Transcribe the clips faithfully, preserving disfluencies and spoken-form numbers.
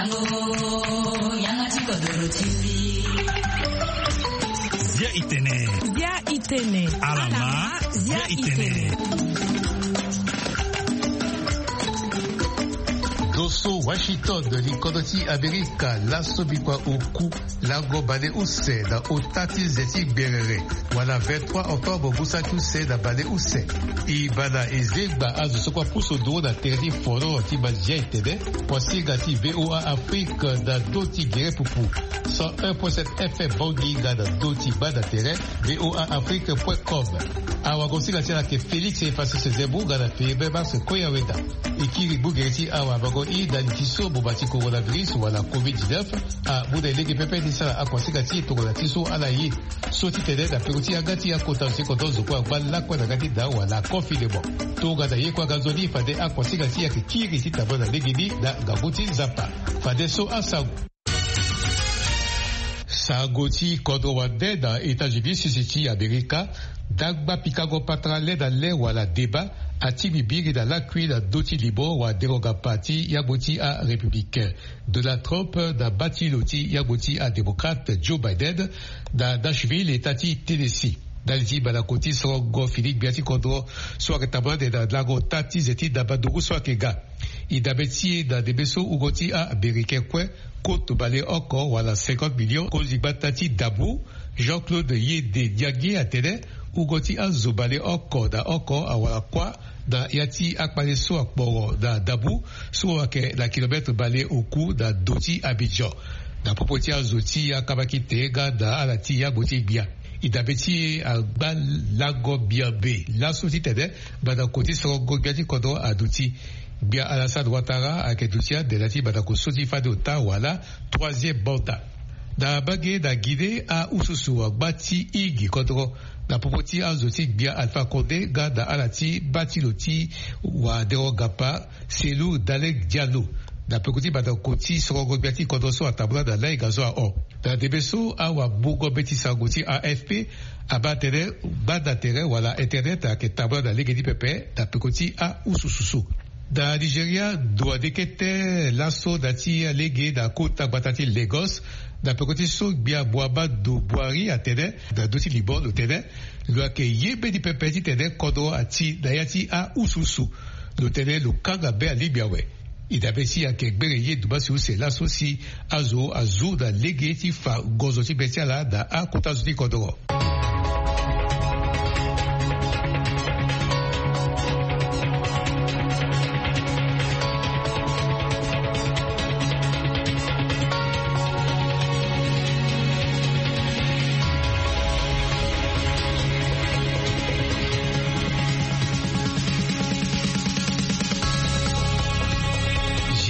Yanga ti kodoro ti mbi. Zia itene. Zia itene. Alama. Zia itene. Doso Washington, likodro ti Amerika, laso bikua oku lango baleuse na ota ti ze ti gberere, wala vingt-trois octobre ngu saki use na baleuse. E bana e zengba azo so kue apusu nduru na tere ti foro ti mazia itene. Kuasinga ti V O A Afrique na ndö ti gere pupu, cent un point sept F M Bangui nga na ndö ti baa na tere, V O A Afrique point com. Awagosinga ti ala ayeke Félix Efasese Zembo nga na firi be mars koya weda. E kiri gbu gere ti awabango i na li ti so boma ti coronavirus wala covid dix-neuf amu na e lege pepe ni sara akuasinga ti e tongana ti so ala ye. So ti tene na peko ti yanga ti akota zo ti kodro zo kue angba lakue na yanga ti daa wala confinement. Tongana ye kue aga nzoni fade akuasinga ti e ayeke kiri ti tambula na legeni na ngangu ti Nzapa. Fadeso asango. Sango ti kodro wande na États-Unis, sese ti Amerika, dangba pikango patara le na le wala débat atingbi biri na lakui na ndö ti limo wa dérogapa ti yangbo ti arépublicain Donald Trump na baa ti lo ti yangbo ti adémocrate Joe Biden na Nashville, eta ti Tennessee. Ndali ti mandako ti sorongo fini gbia ti kodro so ayeke tambula ande na lango ota ti ze ti ndamba nduru so ayeke ga. E dabe ti e na ndembe so wungo ti a-Américain kue, koto baleoko wala cinquante millions, konzi gbata ti ndambu, Jean-Claude Yende Niangue atene, wungo ti azo baleoko na oko awara kuâ na ya ti akpale so akporo na ndambu so ayeke na kilomètre baleoku na ndo ti Abidjan. Na popo ti azo ti akabakite nga na ala ti yangbo ti gbia. E dabe ti e angba lango miombe laso titene mandako ti sorongo gbia ti kodro aduti. Gbia Alassane Ouattara ayeke duti ande na ya ti mandako so ti fade ota wala troisième mandat. Na mbage na Guinée, ahususu angba ti hingi kodro na popo ti azo ti gbia Alpha Condé nga na ala ti baa ti lo ti wa dérogapa Cellou Dalein Diallo na peko ti mandako ti sorongo gbia ti kodro so atambula na lainga so ahon. Na ndembe so awamungo mbeti sango ti A F P abaa atene gbanda tere wala internet ayeke tambula na lege ni pepe na peko ti ahususu so. Na Nigeria, ndo ande kete laso na ti alege na kota gbata ti Lagos, na peko ti so gbia Muhammadu Buhari atene na ndö ti limo lo tene lo yeke ye mbeni pepe titene kodro ati na ya ti ahususu. Lo tene lo kanga be alingbi awe. E dabe ti e ayeke gbere ye dumasi use laso si azo azu na lege ti fa ngonzo ti be ti ala na akota zo ti kodro.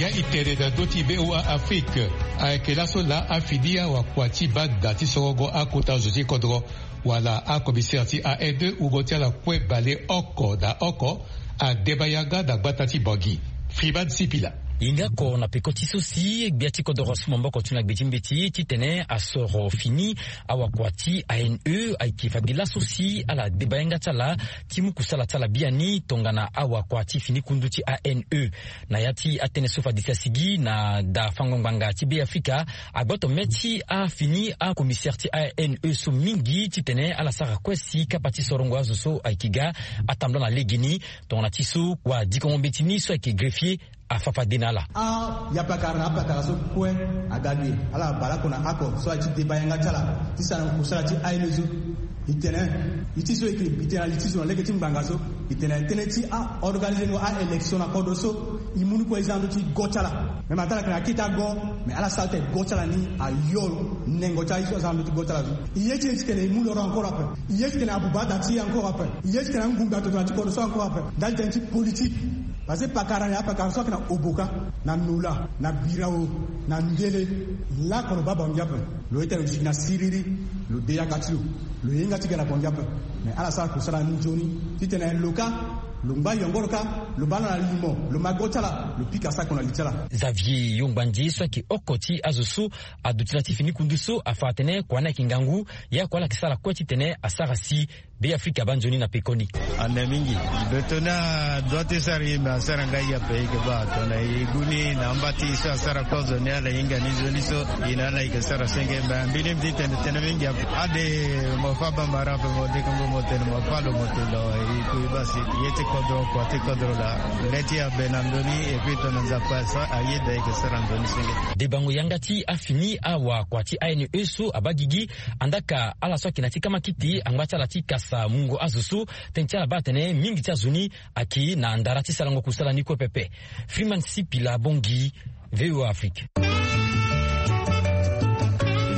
Zia itene na ndö ti V O A Afrique. Ayeke laso laa afini awakua ti banda ti sorongo akota zo ti kodro wala acommissaire ti A N E, wungo ti ala kue baleoko na oko, adeba yanga na gbata ti Bangui. Freeman Sipila. E nga oko na peko ti so si gbia ti kodoro asu maboko ti na gbe ti mbeti titene asoro fini awakua ti A N E. Ayeke fade laso si ala deba yanga ti ala ti mu kusala ti ala biani tongana awakua ti fini kundu ti A N E. Na ya ti atënë so fade si asigi na da fango ngbanga ti Beafrika, agboto mê ti afini acommissaire ti A N E so mingi titene ala sara kue si kapa ti sorongo azo so ayeke ga atambula na legeni. Tongana ti so wadikongo mbeti ni so ayeke greffier afa fade na ala. Ayapakara na apakara so kue aga ge, ala bale oko na oko so aye ti deba yanga ti ala ti sara na kusala ti A N E so. E tene, e ti so e yeke, e tene na li ti zo na lege ti ngbanga so. E tene tënë ti a-organiser ngo a-élection na kodro so, e mu ni kue e za na ndö ti go ti ala. Me ma tara ayeke na akete ago, me ala sara tene go ti ala ni ayo nengo ti aye so aza na ndö ti go ti ala so. E ye ti e titene e mu loro encore après. E ye titene abuba ada ti e encore après. E ye titene angunda tongana ti kodro so encore après. Ndali tënë ti politique. Parce que pakara ni apakara so ayeke na Oboka, na Nola, na Birao, na Ndele, lako lo baa Bangui ape. Lo ye tene lo sigi na siriri, lo de yanga ti lo, lo hinga ti ga na Bangui ape. Me ala sara kusala ni nzoni titene lo ka, lo ngba yongoro ka, lo baa na limo, lo ma go ti ala, lo pika sako na li ti ala. Xavier Yongbandi so ayeke oko ti azo so aduti na ti fini kundu so afa atene kua ni ayeke ngangu, ye akua ala yeke sara kue titene asara si Be Afrika abaa nzoni na pekoni. Ande mingi. Beto ni adoit ti sara ye me asara ngai ape eke baa tona e gu ni na amba ti so asara kozo ni ala hinga ni nzoni so. E na ala eke sara senge me mbini mbi ti tene tene mingi ape. Ade mo fa bambara ape mo dekengo mo tene mo fa lo mo tene lo e kui basi. Ye ti kodro kua ti kodro la. Le ti abe na ndoni. Epi tona nzapa so ayeda eke sara nzoni senge. Debango yanga ti afini awa kua ti A N E so abaa gigi. Andaka ala so ayeke na ti kama kiti angba ti ala ti kasa mungo azo so. Tënë ti ala baa atene mingi ti azo ni ayeke na ndara ti sarango kusala ni kue pepe. Freeman Sipila Bongi, VOA Afrique. E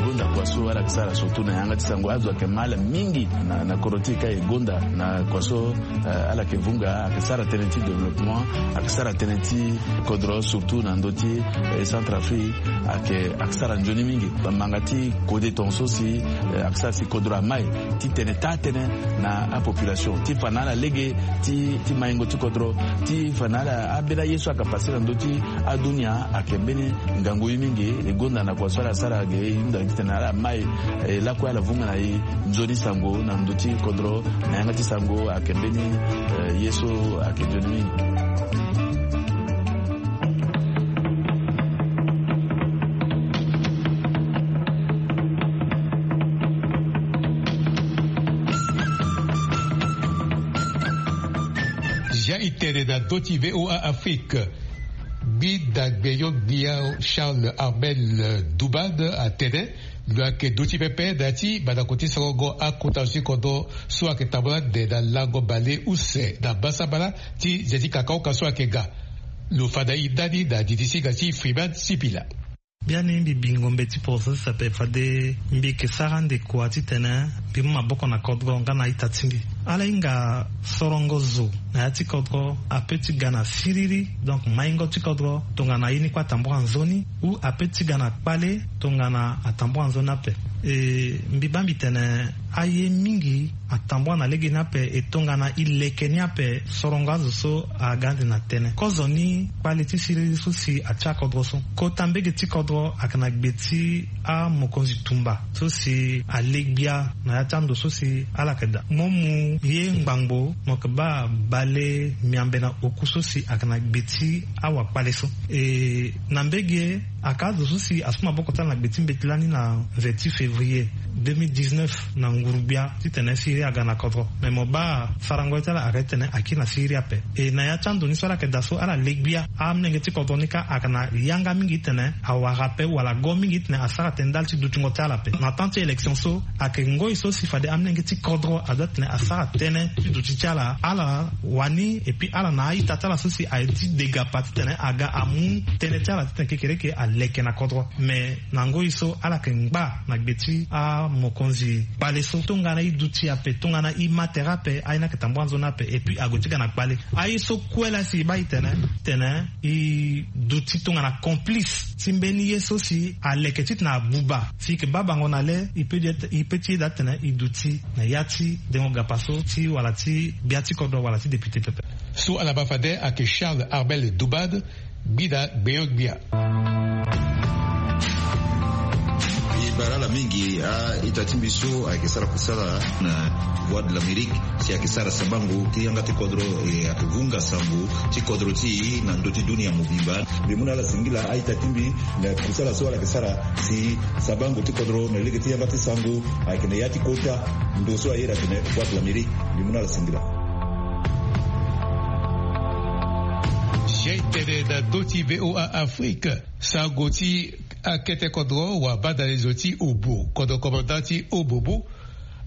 gonda kua so ala yeke sara surtout na yanga ti sango azo ayeke ma ala mingi na, na kodro ti e ka e gonda na kua so. Eh, ala yeke vunga ayeke sara tënë ti développement, ayeke sara tënë ti kodro surtout na ndö ti, eh, Centrafrique. Ayeke, ayeke sara nzoni mingi. Manga ti kode tonga so si, eh, ayeke sara si kodro amai ti tene taa tënë na apopulation ti fa na ala lege ti, ti maingo ti kodro ti fa na ala ambeni aye so ayeke pase na ndö ti adunia ayeke mbeni ngangu ye mingi. E gonda na kua so ala sara ge e hunda titene ala mai, eh, lakue ala vunga na e nzoni sango na ndö ti kodro. Na yanga ti sango ayeke mbeni, eh, ye so ayeke nzoni mingi. Zia e tene na ndö ti VOA Afrique. Gbida gbenyo-gbia Charles Armel Dubad atene lo yeke duti pepe na ya ti mandako ti sorongo akota zo ti kodro so ayeke tambula ande na lango bale use na basabala ti ze ti kakaoka so ayeke ga. Lo fa na e ndani na didi singa ti Freeman Sipila. Biani mbi bi ngombe ti poroso ti sape fade mbi yeke sara ande kua titene mbi mu maboko na kodro nga na ita ti mbi. Ala hinga sorongo zo na ya ti kodro ape ti ga na siriri, donc maingo ti kodro tongana ye ni kue atambura nzoni, ou ape ti ga na kpale tongana atambura nzoni ape. E, mbi baa mbi tene aye mingi atambua na lege ni ape e tongana e leke ni ape sorongo azo so aga ande na tënë. Kozoni kpale ti siriri so si atia kodro so. Kota mbege ti kodro ayeke na gbe ti amokonzi tumba so si ale gbia na ya ti ando so si ala yeke daa. Mo mu ye ngbangbo mo yeke baa bale miambe na oku so si ayeke na gbe ti awakpale so. E, na mbege aka azo so si asu maboko ti ala na gbe ti mbeti lani na vingt-huit février deux mille dix-neuf na nguru-gbia titene siriri aga na kodro. Me mo baa sarango ye ti ala ayeke titene akiri na siriri ape. E na ya ti ando ni so ala yeke daa so ala le gbia, amolenge ti kodro ni kâ ayeke na yanga mingi titene awara ape wala go mingi titene asara tënë ndali ti dutingo ti ala ape. Na temps ti élection so ayeke ngoi so si fade amolenge ti kodro adoit titene asara tënë ti duti ti ala. Ala wani, et puis ala na a-ita ti ala so si aye ti degapa titene aga amu tënë ti ala titene kekereke aleke na kodro. Me na ngoi so ala yeke ngba na gbe ti amokonzi kpale so. Tongana e duti ape, tongana e ma tere ape, aye ni ayeke tambua nzoni ape, et puis ague ti ga na kpale. Aye so kue laa si e baa e tene, tene e duti tongana complice ti mbeni ye so si aleke titene abuba. Si e yeke baa bango na le, e peut ti, e peut ti yeda titene e duti na ya ti dengo gapa so ti wala ti gbia ti kodro wala ti député pepe. So ala baa fade ayeke Charles Armel Dubad, gbida gbenyo-gbia. E bara ala mingi a-ita ti mbi so ayeke sara kusala na Voix de l'Amérique, si ayeke sara sabango ti yanga ti kodro, e ayeke vunga sango ti kodro ti e na ndö ti dunia mobimba. Mbi mu na ala singila a-ita ti mbi na kusala so ala yeke sara si sabango ti kodro na lege ti yanga ti sango ayeke na ya ti kota ndo so ayeda atene Voix de l'Amérique. Mbi mu na ala singila. Zia e tene na ndö ti VOA Afrique, sango ti akete kodro wabadalezo ti Obo, kodro commandant ti Obo bu,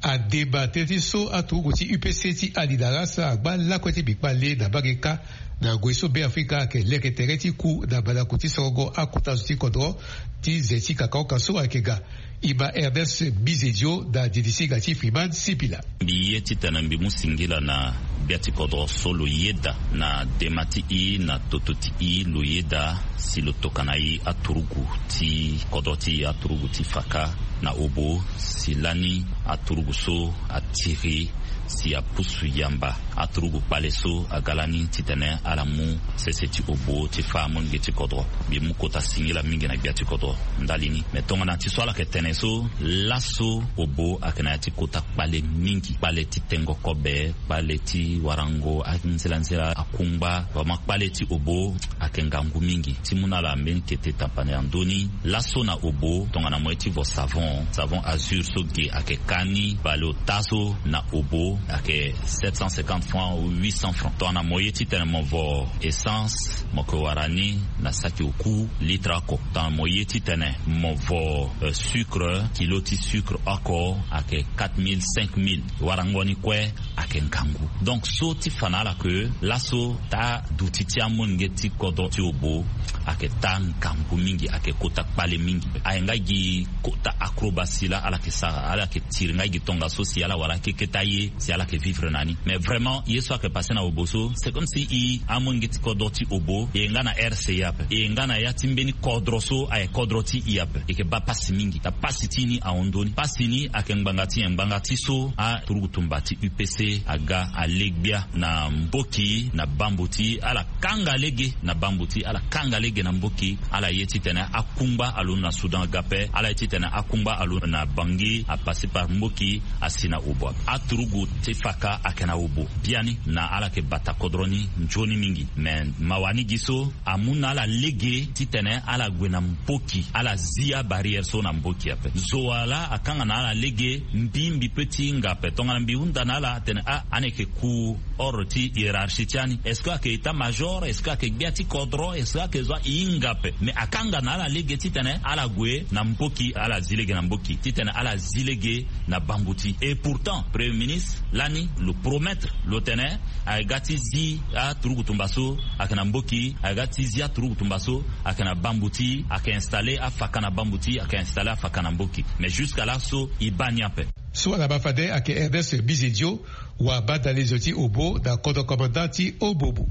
ademba tënë ti so aturugu ti U P C ti Alidara so angba lakue ti mbi kpale na mbage kâ. Na ngoi so Beafrika ayeke leke tere ti ku na mandako ti sorongo akota zo ti kodro ti ze ti kakaoka so ayeke ga. E ma Ernest Bizedio na didi singa ti Freeman Sipila. Mbi ye titene mbi mu singila na gbia ti kodro so lo yeda na dema ti e na toto ti e lo yeda si lo tokana e aturugu ti kodro ti e, aturugu ti Faka na Obo, si lani aturugu so a Tiri si apusu yamba aturugu kpale so aga lani titene ala mu sese ti obo ti fâ amolenge ti kodro. Mbi mu kota singila mingi na gbia ti kodro ndali ni. Me tongana ti so ala yeke tene so, laso obo ayeke na ya ti kota kpale mingi, kpale ti tengo kobe, kpale ti warango anzela nzela akungba. Vraiment kpale ti obo ayeke ngangu mingi. Ti mu na ala mbeni kete tapane na ndö ni, laso na obo tongana mo ye ti vo savon, savon azur so ge ayeke ka ni bale ota so na obo ayeke sept cent cinquante francs ou huit cent francs. Tongana mo ye titene mo vo essence, mo yeke wara ni na saki oku litre oko. Tongana mo ye titene mo vo, euh, sucre, kilo ti sucre oko ayeke quatre mille, cinq mille. Warango ni kue ayeke ngangu. Donc so ti fa na ala ke laso taa duti ti amolenge ti kodro ti obo ayeke taa ngangu mingi, ayeke kota kpale mingi. Aye nga gi kota acrobatie laa ala yeke sara, ala yeke tiri nga gi tongaso si ala wara keke ti aye si ala yeke vivre na ni. Mais vraiment ye so ayeke passe na obo so, c'est comme si i amolenge ti kodro ti obo e ye nga na R C A ape, e ye nga na ya ti mbeni kodro so aye kodro ti i ape. E yeke baa pasi mingi. Na pasi ti ni ahon ndö ni. Pasi ni ayeke ngbanga ti nyen? Ngbanga ti so aturugu tumba ti U P C aga ale gbia na mboki na bambuti, ala kanga lege na bambuti, ala kanga lege na mboki. Ala ye titene akungba alondo na Soudan aga ape, ala ye titene akungba alondo na Bangui, a passer par mboki, asi na obo ape. Aturugu ti faka ayeke na obo biani na ala yeke bata kodro ni nzoni mingi. Me mawa ni gi so amu na ala lege titene ala gue na mboki, ala zi abarrière so na mboki ape. Zo wa laa akanga na ala lege, mbi, mbi pe ti hinga ape. Tongana mbi hunda na ala atene, ah, ani yeke ku ordre ti hiérarchie ti ani. Est-ce que ayeke état-major? Est-ce que ayeke gbia ti kodro? Est-ce que ayeke zo? A hinga ape. Mais akanga na ala lege titene ala gue na mboki, ala zi lege na mboki, titene ala zi lege na bambuti. Et pourtant, Premier ministre lani lo promettre, lo tene ayeke ga ti zi aturugu tumba so ayeke na mboki, ayeke ga ti zi aturugu tumba so ayeke na bambuti, ayeke installer afaka na bambuti, ayeke installer afaka na mboki. Mais jusqu'à là so e baa ni ape. So ala baa fade ayeke Ernest Bizedio, wa badalezo ti obo na kodro commandant ti Obobo.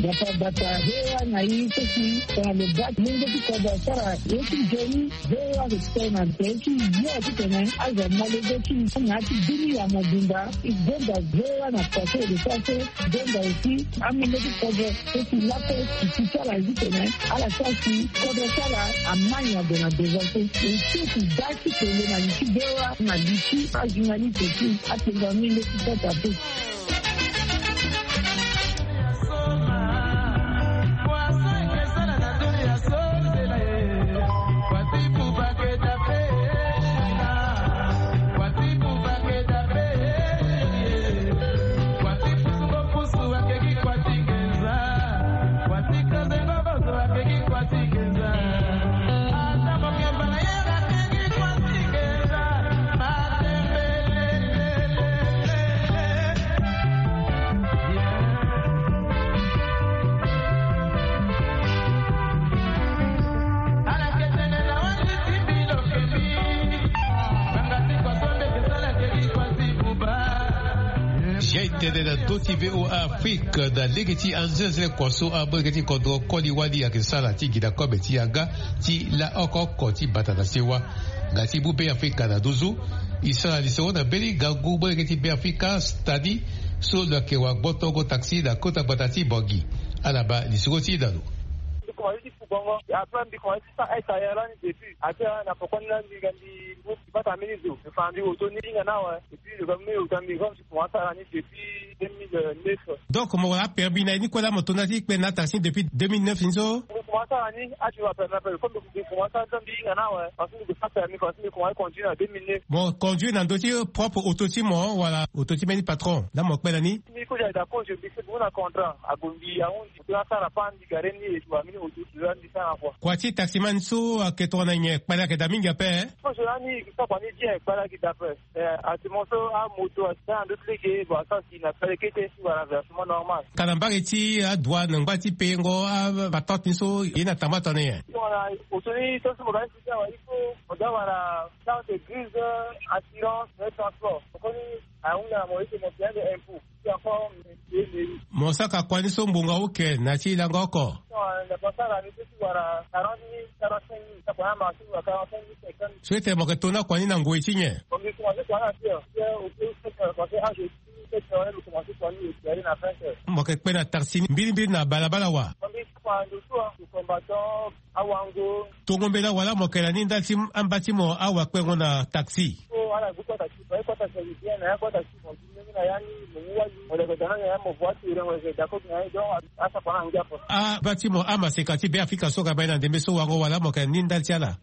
Bata bata, V O A na i so si tongana lo baa ti lenge ti kodro asara ye ti nzoni, V O A ayeke tene na tere ti yo titene azo amolenge ti i na ya ti bini ya mobimba. I gonda V O A na pase de pase, i gonda aussi amolenge ti kodro so si lakue ti ti ti ala zi tene ala sara si kodro ti ala amai na gue na devant so. E so ti da ti tene na li ti V O A na li ti ajournaliste ti atengo amolenge ti kota pe. Zia e tene na ndö ti V O A Afrique na lege ti anzenze kua so amolenge ti kodro koli wali ayeke sara ti gi na kobe ti yanga ti laoko oko ti bata na sewa. Nga ti mu Beafrika na nduzu, e sara lisoro na mbeni ngangu molenge ti Beafrika Stani so lo yeke wagbotongo taxi na kota gbata ti Bangui. Ala baa lisoro ti e na lo. Mbi komanse ti fu bongo, après mbi komanse ti sara aita ya lani depuis. Après na poko ni lani mbi ga mbi mu mbi bata mbeni zo. Mbi fa na mbi oto ni hinga ni awe. Et puis lo ga mu mbi oto na mbi comme. Mo sara ni depuis deux mille neuf. Donc mo wara apermis na ye ni kue laa mo to na ya ti kpe na taxi depuis deux mille neuf ni so? Mo komanse sara ni ati mo apermis ape comme mo komanse sara ni so mbi hinga ni awe parce que mo sara permis parce que mo komanse conduire na deux mille neuf. Mo conduire na ndö ti propre auto ti mo wala auto ti mbeni patron laa mo kpe na ni? Mbi kue ayeke d'accord je mbi sigi mu na contrat ague mbi ahon mbi kue asara pa mbi gare ni e tu amini auto ti lo laa mbi sara kua. Kua ti taximan so ayeke tongana nyen? Kpale ayeke daa mingi ape. Kozo lani e ke sara kua ni bien kpale ayeke daa ape. Eh, actuellement so amoto asi na ndö ti lege bon asara si na kpale kete si wala versement normal. Ka na mbage ti adouane ngba ti payengo apatente ni so ye na tamba tongana nyen? Tongana oto ni so si mo ga ni si ti awe il faut mo ga wala carte grise, assurance, na transport koni ahunda na mo ete mo payande impôt. Mo saka kua ni so ngbonga oke na ti lango oko. So ete mo ke to na kua ni na ngoi ti nyen? Mo ke kpe na taxi ni mbilimbili na balabala wa? Tongo mbela wala mo ke na ni ndali ti amba ti mo awakpengo na taxi? Aba ti mo amaseka ti Beafrika so ga baa ye na ndembe so wango wala mo ke na ni ndali ti ala?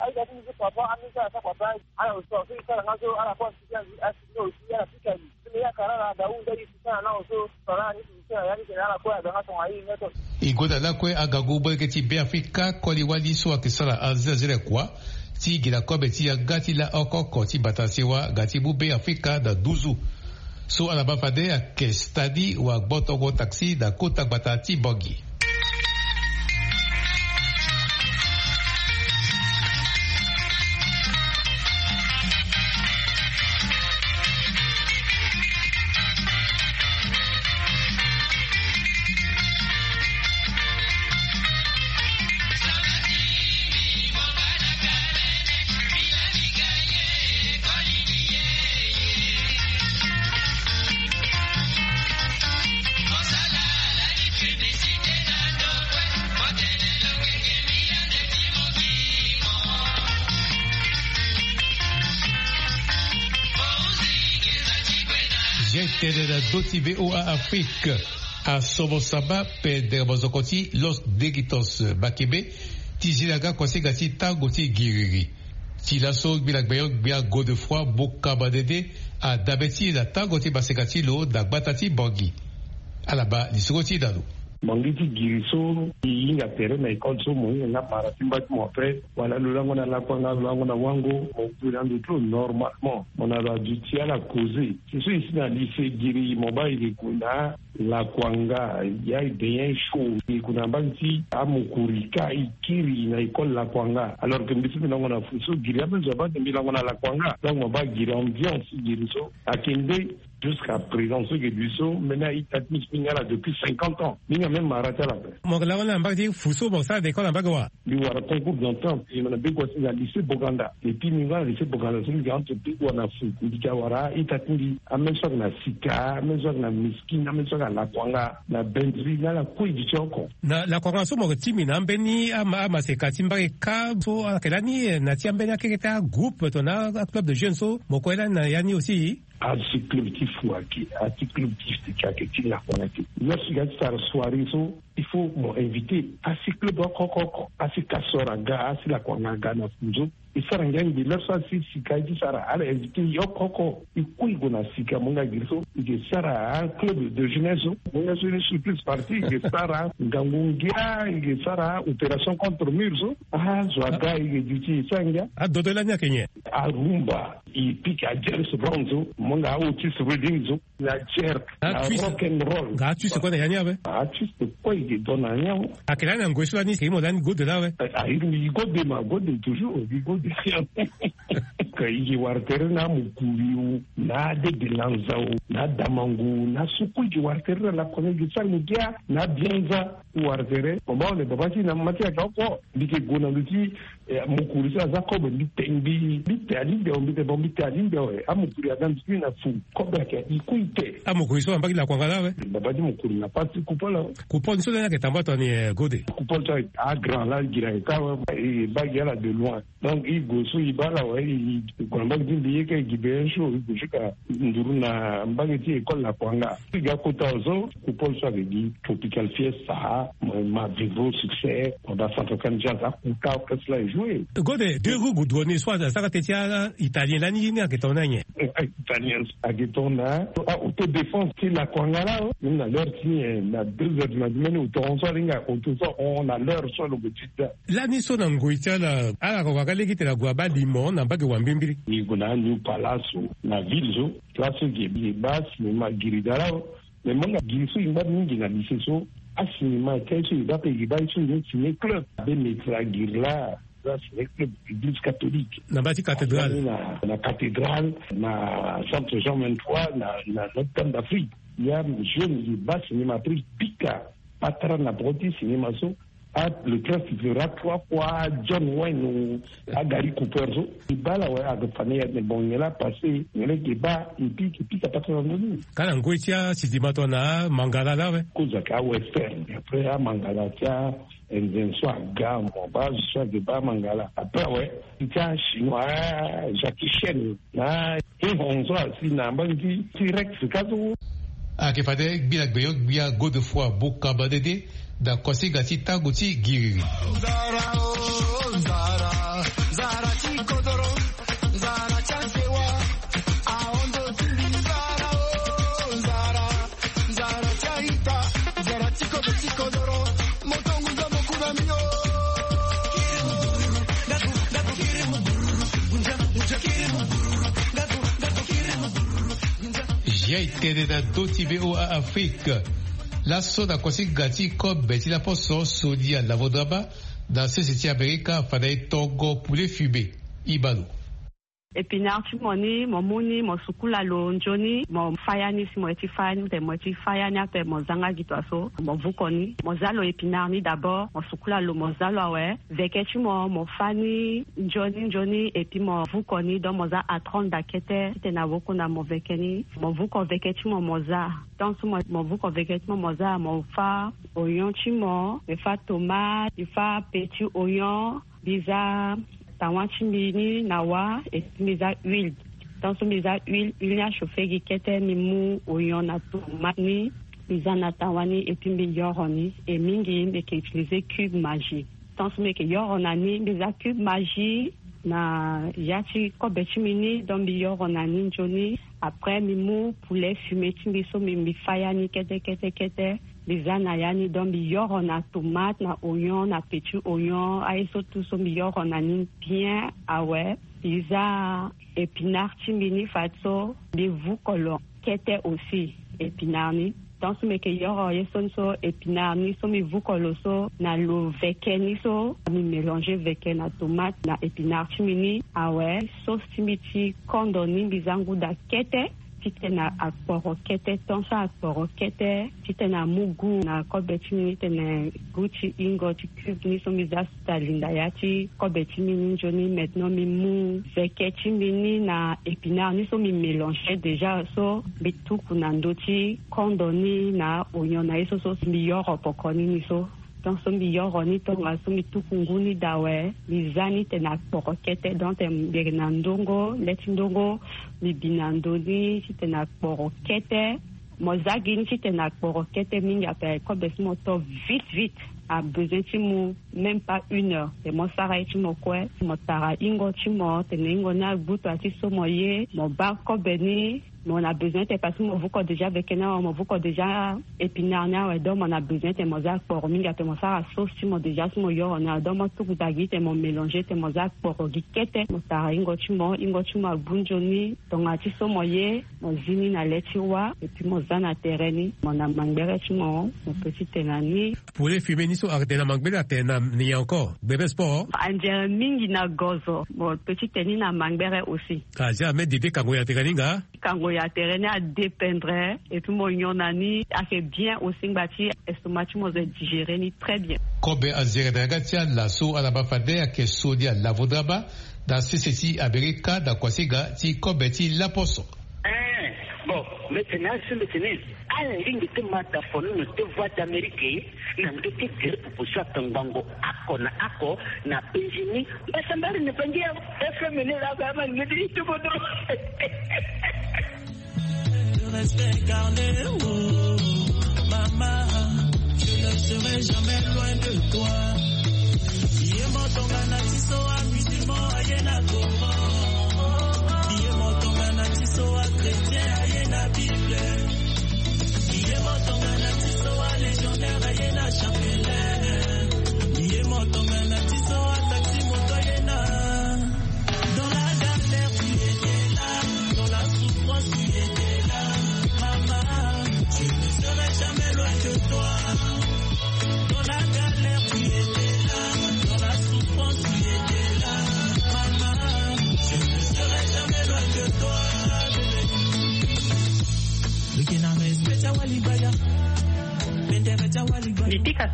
E goda lakue agagu molenge ti Beafrika koli wali so ayeke sara azelazela kua ti gi na kobe ti yanga ti la oko oko ti bata sewa ga ti mu Beafrika na nduzu. So ala baa fade ayeke stadi wa gbotongo taxi na kota gbata ti Bangui. Ye tene na ndö ti V O A Afrique. Asomo samba pendere mozoko ti Los Degritos Bakebe ti zi na nga kuasinga ti tango ti giriri. Ti laso ngbila gbenyo-gbia Godefroid Boka Mandende adabe ti e na tango ti maseka ti lo na gbata ti Bangui. Ala baa lisoro ti e na lo. Mo ngi ti giri so e hinga tere na école so mo hinga nga mara ti mba ti mo après wala lo lango na lakua nga lo lango na wango mo gue na ndo ti lo normalement mo na lo aduti ala causer. Si so e si na lycée giri mo baa e ke gue na lakua nga ya e bien chaud e gue na mbage ti amokuri ka e kiri na école lakua nga alors que mbi so mbi lango na fou so giri ape zo abaa mbi lango na lakua nga donc mo baa giri ambiance giri so ayeke nde. Jusqu'à présent so e ke duti so mbeni a-ita ti mbi so mbi nga ala depuis cinquante ans mbi nga même mara ti ala ape. Mo yeke lango ni na mbage ti fou so mo sara na école na mbage wa? Mbi wara concours d'entrant e mo na be gua ti na lycée Boganda et puis mbi nga na lycée Boganda so mbi ga entre be gua na fou mbi ga wara a-ita ti mbi ame so ayeke na sika ame so ayeke na miskine ame so ayeke na lakuanga na bendri na ala kue e duti oko. Na lakuanga so mo yeke ti mbi na ambeni ama amaseka ti mbage kâ so ayeke lani na ti ambeni akeke ti agroupe tongana aclub de jeunes so mo kue lani na ya ni aussi? Asi club ti fou ayeke asi club ti sika ayeke ti lakuanga ti. Lo si ga ti sara soirée so il faut mo inviter asi club oko oko oko asi kasor aga asi lakuanga aga na fou so. E sara ngia ngbi lere so asi sika e ti sara ala inviter yo oko oko e kue e gue na sika mo nga giri so e ke sara club de jeunesse so mo nga so ni surprise parti e ke sara ngangu ngia e ke sara opération contre mur so. Azo aga e ke duti e sara ngia. Adodo lani ayeke nyen? Arumba. E pika James Brown so mo nga aotis reading so na jerk na rock and roll. Nga atwist kue na ya ni awe. Atwist kue e ke don na ya ni awe. Ayeke lani na ngoi so lani e ke imo lani gode laa awe. Airi mbi gode ma gode toujours mbi gode. Ka e ke wara tere na amokuri o na adedelanza o na adamango na so kue e ke wara tere na lakua na e ke sara ngia na abianza. Wara tere baba ole baba ti na mama ti ayeke oko mbi ke gue na ndo ti. Mokuri so aza kobe mbi te mbi mbi te alingbi awe mbi te bon mbi te alingbi awe amokuri aga mbi ti na fu. Kobe ayeke i kui te. Amokuri so ambaki lakua nga la awe. Baba ti mokuri na pasi kupol awe. Kupol ni so lani ayeke tambua toni gode. Kupol so agrand la gira ayeke awe. E baa gi ala de loin. Donc i gue so i baa ala awe i gue na mbage ti mbi ye ka i gi be un jour i gue jusqu'à nduru na mbage ti école lakua nga. I ga kota awe so kupol so ayeke gi tropical fiesta. Ma vivre au succès. Pendant centrafricaine jazz akuta orchestre la e jouer. Gode deux roues gudu ni so asara teti a italien lani ni ayeke tongana nyen? Italien ayeke tongana autodéfense ti lakua nga la. Même na l'heure ti nyen na deux heures du matin même auto hon so alinga auto so ahon na l'heure so alobo ti da. Lani so na ngoi ti ala ala ko waka lege ti tene ague abaa limon na mbage wa mbimbiri. Ni gue na aniu palace na ville so place so ge baa sinema giri da la. Mais mo nga giri so e ngba mingi na lycée so asinema ti aye so e baa pe e baa ye so e ni ciné club abe metre agiri la. Za ciné club église catholique. Na mbage ti cathédrale. Na cathédrale na centre jean vingt-trois na na notre dame d'afrique. Ya jeune ye baa sinema après pika patara na poko ti sinema so. Ah, le train suffira trois fois John Wayne ou Gary Cooper so. I baa la awe, aga fane ya tene bon nyen la passé, nyen la eke baa, et puis eke pika patara na ndoni. Ka na ngoi ti asinema tongana amangala la awe. Kozaka awestern, après amangala ti anzen so aga mo baa zo so ake baa amangala. Après awe ti achinois, Jackie Chan na Hehon so asi na mbangi ti T-Rex ka so. Ake fade gbia gbenyo gbia Godefroid Bokamba Dede na kosinga ti tango ti giriri. Zia e tene na ndö ti V O A Afrique. Laso na kosinga ti kobe ti laposo, Sonia Lavodraba na sese ti Amerika afanda e tongo poulet fumé. Ibalo. Épinard ti mo ni, mo mu ni, mo sukula lo nzoni, mo fâ ya ni. Si mo ye ti fâ ya ni, mo ye ti fâ ya ni ape, mo zanga gi tua so, mo vuko ni, mo za lo épinard ni d'abord, mo sukula lo, mo za lo awe. Veke ti mo, mo fâ ni nzoni nzoni, et puis mo vuko ni, donc mo za atron da kete titene awokuna mo veke ni. Mo vuko veke ti mo, mo za. Tant so mo, mo vuko veke ti mo, mo za, mo fâ oignon ti mo, mo fâ tomate, mo fâ petit oignon, mbi za tawa ti mbi ni na wâ, et puis mbi za huile. Tant so mbi za huile, huile ni achauffé gi kete, mbi mu oignon na tomate ni, mbi za na tawa ni, et puis mbi yoro ni. Et mingi mbi yeke utiliser cube Maggi. Tant so mbi yeke yoro na ni, mbi za cube Maggi na ya ti kobe ti mbi ni, donc mbi yoro na ni nzoni. Après mbi mu poulet fumé ti mbi so, mbi, mbi fâ ya ni kete kete kete. Mbi za na ya ni, donc mbi yoro na tomate, na oignon, na petit oignon, aye so tout so mbi yoro na ni bien awe. Mbi za épinard ti mbi ni fade so, mbi vuko lo kete aussi, épinard ni. Tant so mbi yeke yoro ye so ni so, épinard ni so mbi vuko lo so na lo veke ni so, mbi mélanger veke na tomate na épinard ti mbi ni awe. Sauce ti mbi ti kondo ni, mbi za ngu da kete titene akporo kete. Tant so akporo kete titene amu goût na kobe ti mbi ni, titene goût ti hingo ti cube ni so mbi za so alinda ya ti kobe ti mbi ni nzoni. Maintenant mbi mu veke ti mbi ni na épinard ni so mbi mélanger déjà so, mbi tuku na ndö ti kondo ni na oignon na ye so, so mbi yoro poko ni ni so. Tant so mbi yoro ni, tongaso mbi tuku ngu ni da awe, mbi za ni titene akporo kete. Donc titene mbi yeke na ndongo, le ti ndongo, mbi bi na ndö ni titene akporo kete. Mo za gi ni titene akporo kete mingi ape, kobe so mo to vite vite, abesoin ti mu même pas une heure. Titene mo sara ye ti mo kue, mo tara hingo ti mo, titene hingo ni agbu tua ti so mo ye, mo baa kobe ni. Mo na besoin titene, parce que mo vuko déjà veke ni awe, mo vuko déjà épinard ni awe, donc mo na besoin titene mo za akporo mingi ape, mo sara sauce ti mo déjà so mo yoro ni awe, donc mo tuku da gi titene mo mélanger, titene mo za akporo gi kete, mo tara hingo ti mo, hingo ti mo agbu nzoni. Tongana ti so mo ye, mo zi ni na le ti wâ, et puis mo za na tere ni, mo na mangbere ti mo, mo peut ti tene na ni. Poulet fumé ni so atene na mangbere, atene na ni encore? Bebe sport. Anzere mingi na gozo, mo peut ti tene ni na mangbere aussi. Ah, jamais Dede kango ya tere ni nga? Kango ya tere ni adépendre, et puis mo nyon na ni, ayeke bien aussi, ngba ti estomac ti mo zo e digérer ni très bien. Kobe anzere na yanga ti ala so ala baa fade ayeke Sonia Lavodraba, na sese ti Amerika, na kuasinga ti kobe ti laposo. Eh, bon, mbi tene asi, mbi tene ala lingbi ti ma da fo ni na te Voix d'Amérique, na ndö ti gere pupu so atongbango oko na oko na penzi ni. Mbasambala ni bangi ya F M ni la ba ma ni di ti bodo. Respect carnet, oh, maman, je ne serai jamais loin de toi. Ye mo tongana ti so amusulman aye na Coran. Ye mo tongana ti so achrétien aye na Bible. Ye mo tongana ti so alégionnaire aye na chapelaine. Ye mo tongana ti so ataxi moto aye na. Dans la galère, tu étais là. Dans la souffrance, tu étais là. Maman, je ne serai jamais loin de toi. Dans la galère, tu étais là. Dans la souffrance, tu étais là. Maman,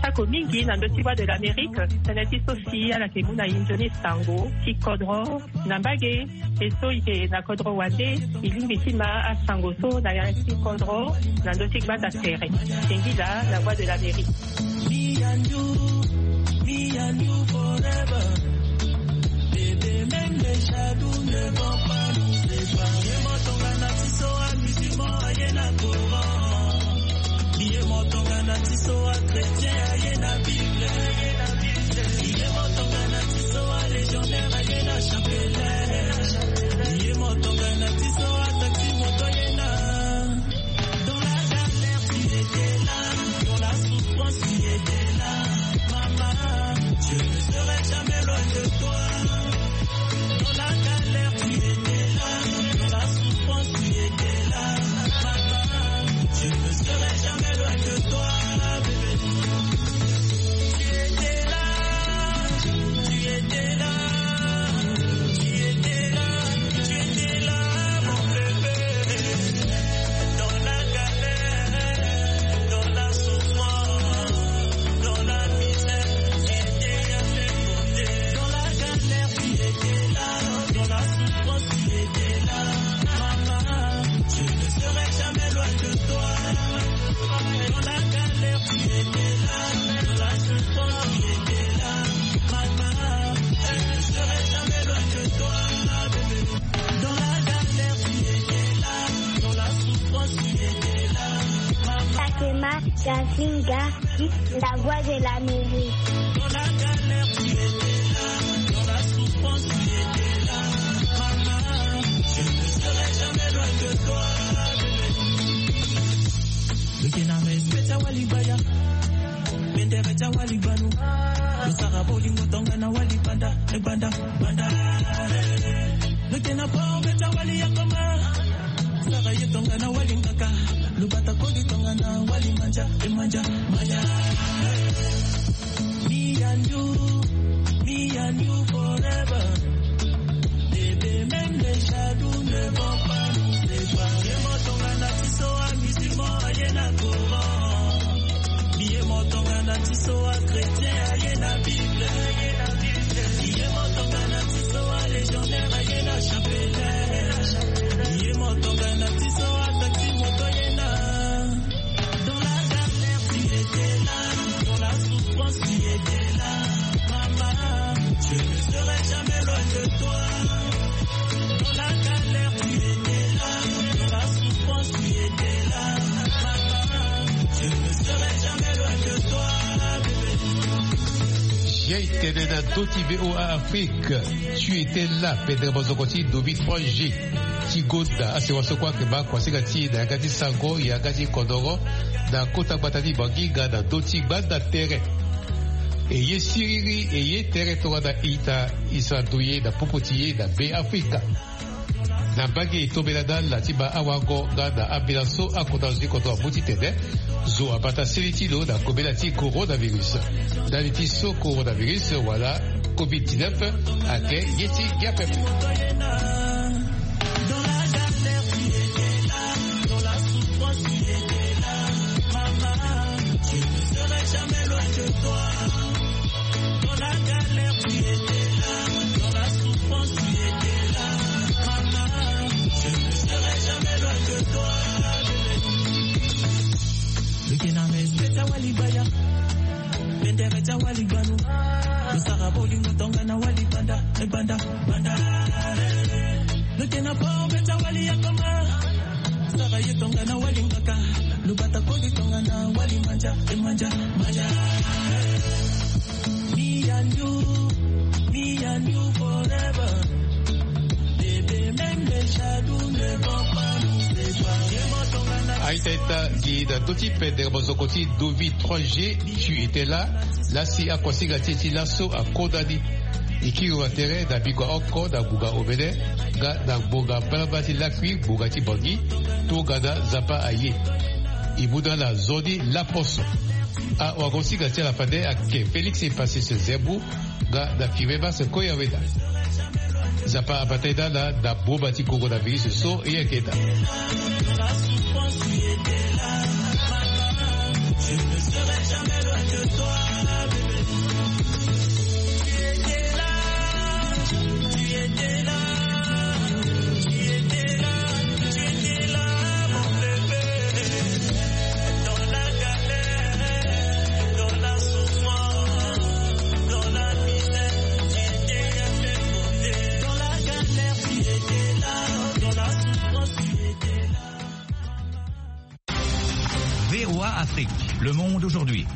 Sako mingi na ndö ti Voix de l'Amérique, tënë ti so si ala yeke mu na e nzoni sango ti kodro na mbage. E so e yeke na kodro wande, e lingbi ti ma asango so na ya ti kodro na ndö ti gbanda tere. Singila na Voix de l'Amérique. Me and you, me and you forever. Bébé, même les jaloux ne vont pas nous séparer. Ye mo tongana ti so amusulman aye na Coran. Ye mo tongana ti so achrétien aye na Bible. Ye mo tongana ti so alégionnaire aye na chapelet. Ye mo tongana ti so ataxi moto aye na. Dans la galère, tu étais là. Dans la souffrance, tu étais là. Maman, je ne serai jamais loin de toi. Dans la galère, tu étais là. Dans la souffrance, tu étais là. Maman, je ne serai jamais loin de toi, bébé. Tu étais là, tu étais là, tu étais là, tu étais là, mon bébé. Dans la galère, dans la souffrance, dans la misère, tu étais à mes côtés. Dans la galère, tu étais là, dans la souffrance, tu étais là. Maman, je ne serai jamais loin de toi. Dans la galère, tu étais là, dans la souffrance, tu étais là. Maman, je ne serai jamais loin de toi, bébé. Dans la galère, tu étais là, dans la souffrance, tu étais là. Maman. Fatima Kazinga, la Voix de l'Amérique. Dans la galère, tu étais là, dans la souffrance, tu étais là. Maman, je ne serai jamais loin de toi, bébé. Looking at me, spit a wali baya. Bendere ja wali banu. Lo sara bolingo tongana wali banda, e banda, banda. Lo kena pa beta wali ya koma. Sara ye tongana wali ngaka. Lo bata koli tongana wali manja, e manja, manja. Me and you, me and you forever. Bébé, même les jaloux ne vont pas nous séparer. Ye mo tongana ti so amusulman aye na Coran. Ye mo tongana ti so achrétien aye na Bible. Ye mo tongana ti so alégionnaire aye na chapelet. Ye mo tongana ti so ataxi moto aye na. Dans la galère, tu étais là. Dans la souffrance, tu étais là. Maman, je ne serai jamais loin de toi. Dans la galère, tu étais là. Dans la souffrance, tu étais là. Maman, je ne serai jamais loin de toi, bébé. Ye tene na ndö ti V O A Afrique. Tu étais là, pendere mozoko ti Dovi trois G. Ti gonda asewa so kue ayeke baa kuasinga ti e na yanga ti sango, yanga ti kodoro, na kota gbata ti Bangui nga na ndö ti gbanda tere. E ye siriri, e ye tere tongana ita, e sara ndoye na popo ti e na Be Afrika. Na mbage e tombela na ala ti baa awango nga na ambela so akota zo ti kodro amu titene zo abata seni ti lo na kobela ti coronavirus. Ndali ti so coronavirus wala covid dix-neuf ayeke ye ti gi apepe. Dans la galère, tu étais là. Dans la souffrance, tu étais là. Maman, je ne serai jamais loin de toi. Dans la galère, tu étais là. Dans la souffrance, tu étais là. Maman, je ne serai jamais loin de toi, bébé. Looking at me, spit a wali baya. Bendere ja wali banu. Lo sara bolingo tongana wali banda, e banda, banda. Lo kena pa beta wali ya koma. Sara ye tongana wali ngaka. Lo bata koli tongana wali manja, e manja, manja. Me and you, me and you forever. Bébé, même les jaloux ne vont pas nous séparer. Aita ita gi na ndö ti pendere mozoko ti Dovi trois G, tu étais là. Lasi akuasinga ti e ti laso akonda ni. E kiri wa tere na bikua oko na ngbonga omene nga na ngbonga mbalambala ti lakui ngbonga ti Bangui tongana Nzapa aye. E mu na ala nzoni laposo. Awagosinga ti ala fade ayeke Félix Epasis Zembu nga na Firmin Mas Koyaweda. Nzapa abata e na ala na boma ti coronavirus so e yeke daa. Je ne serai jamais loin de toi, bébé. Tu étais là, tu étais là, tu étais là, tu étais là, mon bébé. Dans la galère, dans la souffrance, dans la misère, tu étais à mes côtés. Dans la galère, tu étais là, dans la souffrance, tu étais là. V O A Afrique, le monde aujourd'hui.